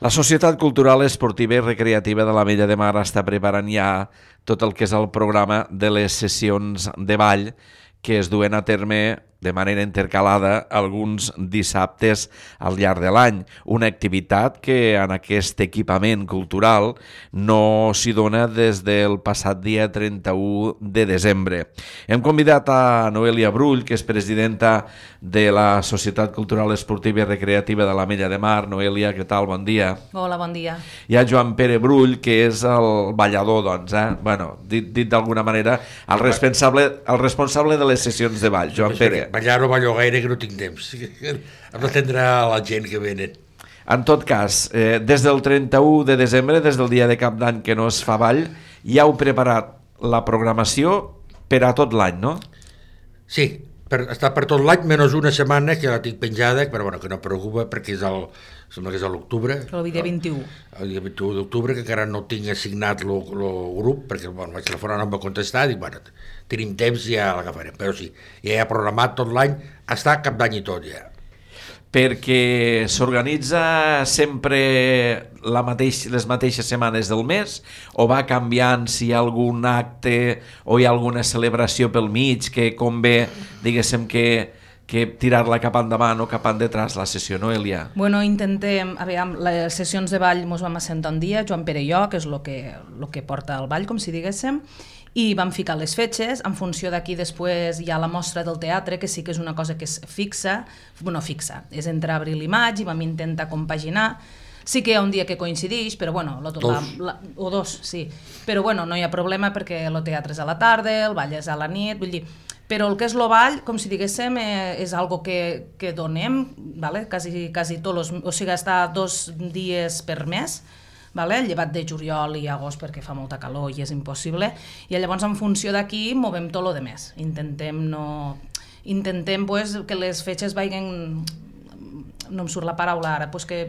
La Societat Cultural Esportiva i Recreativa de l'Ametlla de Mar està preparant ja tot el que és el programa de les sessions de ball que es duen a terme de manera intercalada alguns dissabtes al llarg de l'any. Una activitat que en aquest equipament cultural no s'hi dona des del passat dia 31 de desembre. Hem convidat a Noelia Brull, que és presidenta de la Societat Cultural Esportiva i Recreativa de l'Ametlla de Mar. Noelia, què tal? Bon dia. Hola, bon dia. Hi ha Joan Pere Brull, que és el ballador, doncs, Bueno, dit d'alguna manera, el responsable de les sessions de ball. Joan Pere. Ballar no ballo gaire, que no tinc temps. Hem d'atendre la gent que venen. En tot cas, des del 31 de desembre, des del dia de cap d'any que no es fa ball, ja heu preparat la programació per a tot l'any, no? Sí, està per tot l'any, menys una setmana que la tinc penjada, però bueno, que no preocupa perquè sembla que és a l'octubre. El dia 21. El dia 21 d'octubre, que encara no tinc assignat el grup, perquè bueno, vaig telefonar, no em va contestar, dic, bueno, tenim temps i ja l'agafarem. Però sí, ja he programat tot l'any, està cap d'any i tot ja. Perquè s'organitza sempre les mateixes setmanes del mes o va canviant si hi ha algun acte o hi ha alguna celebració pel mig que convé, diguéssim, que tirar-la cap endavant o cap endetrás la sessió, no, Elia? Bueno, intentem, aviam, les sessions de ball mos vam assentar un dia, Joan Pere i jo, que és el que porta el ball, com si diguéssim, i vam ficar les fetges. En funció d'aquí després hi ha la mostra del teatre, que sí que és una cosa que és fixa, és entre abril i maig, i vam intentar compaginar. Sí que hi ha un dia que coincideix, però bueno, o dos, sí. Però bueno, no hi ha problema perquè el teatre és a la tarda, el ball és a la nit, vull dir, però el que és el ball, com si diguéssim, és algo que donem, vale? quasi tots, o sigui, està 2 dies per mes, vale? Llevat de juliol i agost perquè fa molta calor i és impossible, i llavors en funció d'aquí movem tot el de més. Intentem pues, que les fetges vagin, no em surt la paraula ara, pues que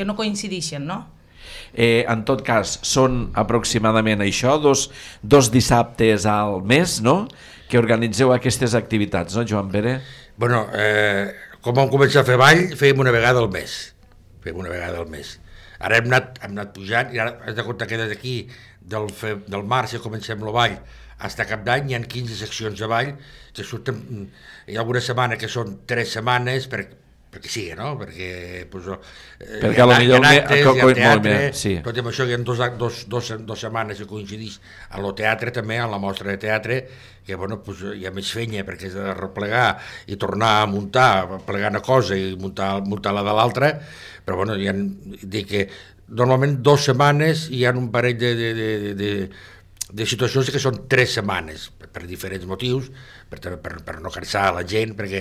no coincideixen, no? En tot cas, són aproximadament això, dos dissabtes al mes, no?, que organitzeu aquestes activitats, no, Joan Pere? Bueno, com vam començar a fer ball, fèiem una vegada al mes. Ara hem anat pujant, i ara has de comptar que des d'aquí, del març, que comencem el ball, fins a cap d'any hi ha 15 seccions de ball, que surten, hi ha alguna setmana que són 3 setmanes, perquè sí, no? Perquè perquè potser hi ha teatre, sí. Tot i això hi ha dos setmanes que coincideix a lo teatre també, a la mostra de teatre, que bueno, hi ha més feina perquè és de replegar i tornar a muntar, plegar una cosa i muntar la de l'altra, però bueno, dic que normalment 2 setmanes hi ha un parell de situacions que són 3 setmanes, per diferents motius, per no cansar la gent, perquè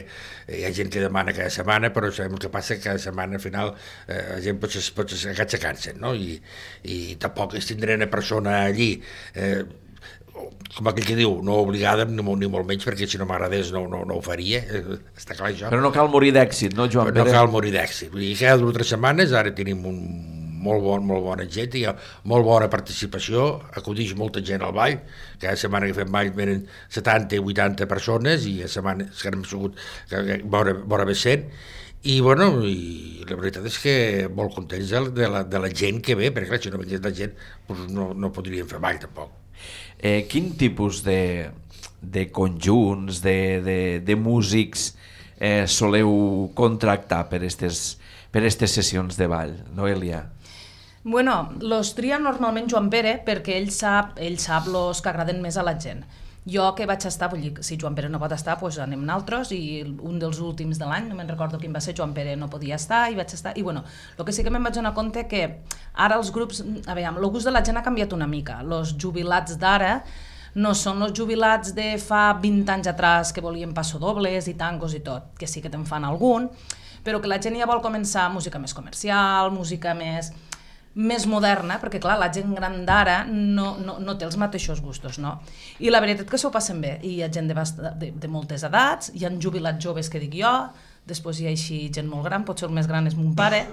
hi ha gent que demana cada setmana, però sabem el que passa que cada setmana al final la gent potser se cansen, no? I tampoc es tindrà una persona allí, com aquell que diu, no obligada ni molt menys, perquè si no m'agradés no ho faria, està clar això. Però no cal morir d'èxit, no, Joan Pere? No cal morir d'èxit. Vull dir, cada 2 o 3 setmanes ara tenim molt bona gent, hi ha molt bona participació, acudix molta gent al ball, cada setmana que fem ball venen 70 i 80 persones i a setmanes que hem sigut vora bé 100, i bueno, i la veritat és que molt contents de la gent que ve, perquè clar, si no vingués la gent doncs no podríem fer ball tampoc. Quin tipus de conjunts, de músics soleu contractar per aquestes sessions de ball, Noelia? Bueno, los tria normalment Joan Pere perquè ell sap los que agraden més a la gent. Jo que vaig estar, vull dir, si Joan Pere no pot estar, doncs anem nosaltres, i un dels últims de l'any, no me'n recordo quin va ser, Joan Pere no podia estar i vaig estar, i bueno, el que sí que me'n vaig donar compte que ara els grups, aviam, el gust de la gent ha canviat una mica, els jubilats d'ara no són els jubilats de fa 20 anys atrás que volien passodobles i tangos i tot, que sí que te'n fan algun, però que la gent ja vol començar música més comercial, música més moderna, perquè clar, la gent gran d'ara no té els mateixos gustos, no? I la veritat que s'ho passen bé, i hi ha gent de moltes edats, hi ha jubilats joves que dic jo, després hi ha així gent molt gran, potser el més gran és mon pare,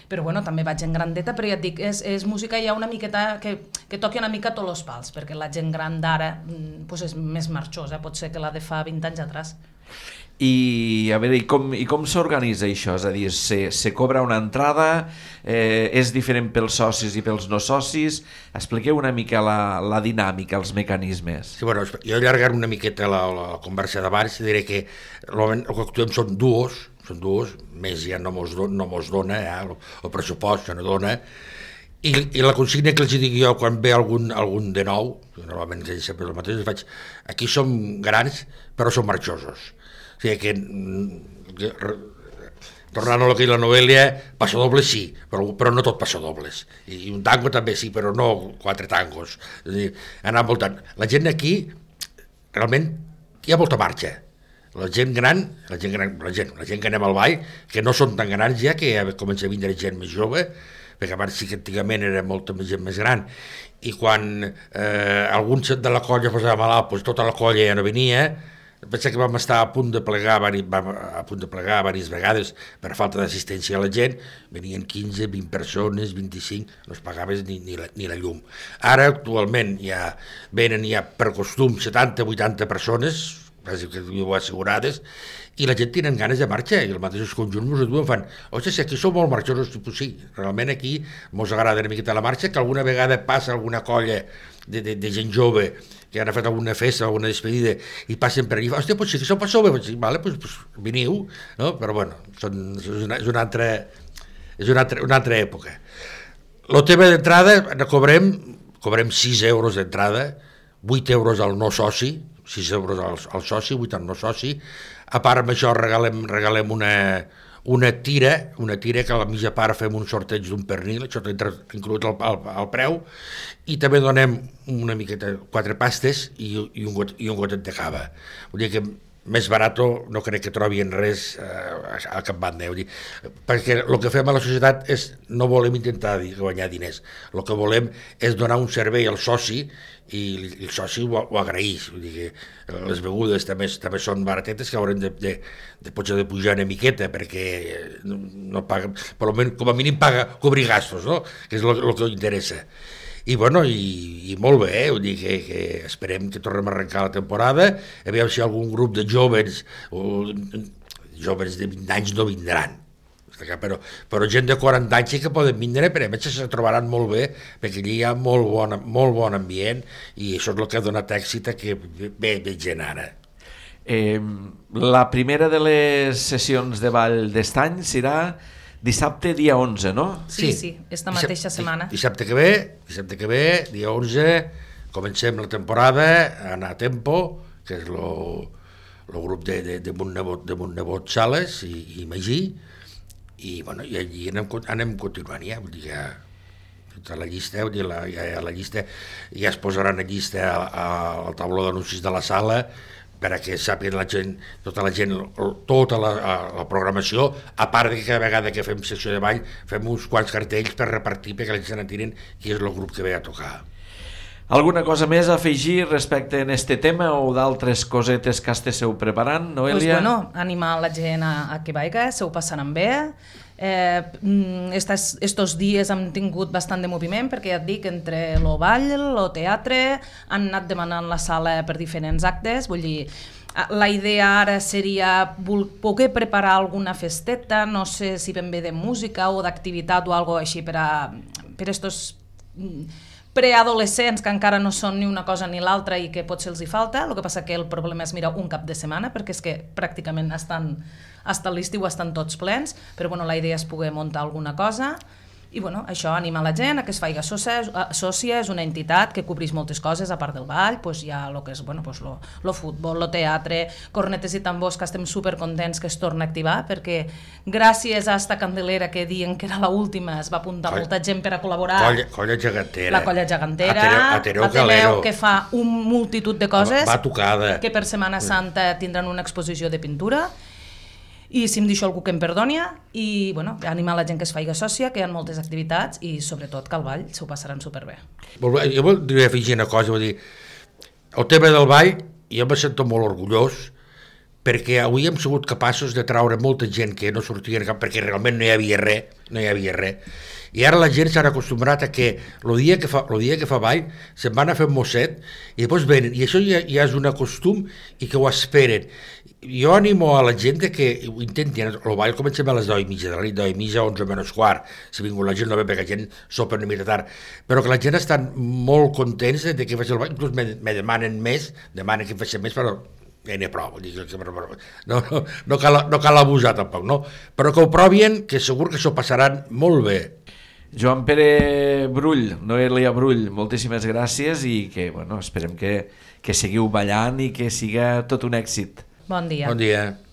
però bueno, també va gent grandeta, però ja et dic, és música ja una miqueta que toqui una mica tots els pals, perquè la gent gran d'ara és més marxosa, pot ser que la de fa 20 anys atrás. I a veure, i com s'organitza això? És a dir, se cobra una entrada, és diferent pels socis i pels no socis? Expliqueu una mica la dinàmica, els mecanismes. Sí, bueno, jo allargaré una miqueta la conversa d'abans i diré que el que actuem són duos, més ja no mos dona, el pressupost ja no dona, i la consigna que els dic jo quan ve algun de nou, normalment ells sempre el mateix, faig, aquí som grans però som marxosos. O sigui que, tornant a lo que és la novel·la, passadobles sí, però no tot passadobles. I un tango també sí, però no 4 tangos. És a dir, anar voltant. La gent aquí, realment, hi ha molta marxa. La gent que anem al ball, que no són tan grans ja, que ja comença a vindre gent més jove, perquè abans sí que antigament era molta gent més gran, i quan algun de la colla posava malalt, doncs tota la colla ja no venia. Pensa que vam estar a punt de plegar diverses vegades per falta d'assistència a la gent, venien 15, 20 persones, 25, no es pagaves ni la llum. Ara, actualment, ja venen per costum 70-80 persones, quasi que ho assegurades, i la gent tenen ganes de marxa, i els mateixos conjunts ens ho fan. Ostres, si aquí som molt marxosos, pues sí, realment aquí mos agrada una miqueta la marxa, que alguna vegada passa alguna colla de gent jove que han fet alguna festa, alguna despedida, i passen per allà, hòstia, pues sí que sou pas jove, sí, vale, pues veniu, no? Però bueno, és una altra època. El tema d'entrada, cobrem 6 euros d'entrada, 8 euros al no soci, 6 euros al soci, 8 al no soci. A part amb això regalem una tira que a la mitja part fem un sorteig d'un pernil, això entra inclòs al preu, i també donem una miqueta 4 pastes i un gotet de cava. Vull dir que més barat no crec que trobin res a cap banda, perquè el que fem a la societat és, no volem intentar guanyar diners, el que volem és donar un servei al soci i el soci ho agraeix. Vull dir que les begudes també són baratetes, que haurem de potser de pujar una miqueta perquè no paga, per almenys com a mínim paga cobrir gastos, no? Que és el que interessa. I bueno, i molt bé, vull dir que esperem que tornem a arrencar la temporada, a veure si algun grup de jóvens de 20 anys no vindran, però gent de 40 anys sí que poden vindre, però a més se trobaran molt bé, perquè allí hi ha molt bon ambient, i això és el que ha donat èxit a que ve gent ara. La primera de les sessions de ball d'estany serà dissabte, dia 11, no? Sí, esta mateixa setmana. Dissabte que ve, dia 11, comencem la temporada, anar a Tempo, que és el grup de Montnebot Sales i Magí, i bueno, i allí anem continuant ja, vull dir que tota la llista, la llista ja es posaran a llista al tauló d'anuncis de la sala, perquè sàpiguen tota la programació, a part que cada vegada que fem secció de ball fem uns quants cartells per repartir perquè la gent se n'entiren qui és el grup que ve a tocar. Alguna cosa més a afegir respecte en este tema o d'altres cosetes que esteu preparant, Noelia? Pues bueno, animar la gent a que vaiga, se ho passaran bé. Estos dies hem tingut bastant de moviment perquè ja et dic, entre el ball, el teatre, han anat demanant la sala per diferents actes, vull dir, la idea ara seria poder preparar alguna festeta, no sé si ben bé de música o d'activitat o alguna així per estos preadolescents que encara no són ni una cosa ni l'altra i que potser els hi falta. El que passa que el problema és mirar un cap de setmana, perquè és que pràcticament hasta l'estiu estan tots plens, però bueno, la idea és poder muntar alguna cosa. I bueno, això anima la gent a que es faci sòcia, és una entitat que cobreix moltes coses, a part del ball, pues hi ha el que és el futbol, el teatre, cornetes i tambors, que estem supercontents que es torna a activar, perquè gràcies a esta candelera que diuen que era l'última, es va apuntar molta gent per a col·laborar. Colla gegantera. La colla gegantera, Ateneu, que fa una multitud de coses, que per Setmana Santa tindran una exposició de pintura. I si em deixo algú que em perdonia, i bueno, animar la gent que es faci sòcia, que hi ha moltes activitats i sobretot que al ball s'ho passaran superbé. Jo voldria afegir una cosa, vull dir, el tema del ball jo me sento molt orgullós perquè avui hem sigut capaços de traure molta gent que no sortia perquè realment no hi havia res, I ara la gent s'ha acostumbrat a que el dia que fa ball se'n van a fer un mosset i després venen, i això ja és un costum i que ho esperen. Jo animo a la gent que ho intentin. El ball comencem a les 10:30 de la nit, 10:30, 11 menys quart, si vingut la gent no ve perquè la gent sopa una mica tard, però que la gent estan molt contents de que faci el ball, inclús me demanen més, demanen que faci més, però ja n'hi ha prou, no cal abusar tampoc, no? Però que ho provien, que segur que s'ho passaran molt bé. Joan Pere Brull, Noelia Brull, moltíssimes gràcies i que, bueno, esperem que seguiu ballant i que siga tot un èxit. Bon dia. Bon dia.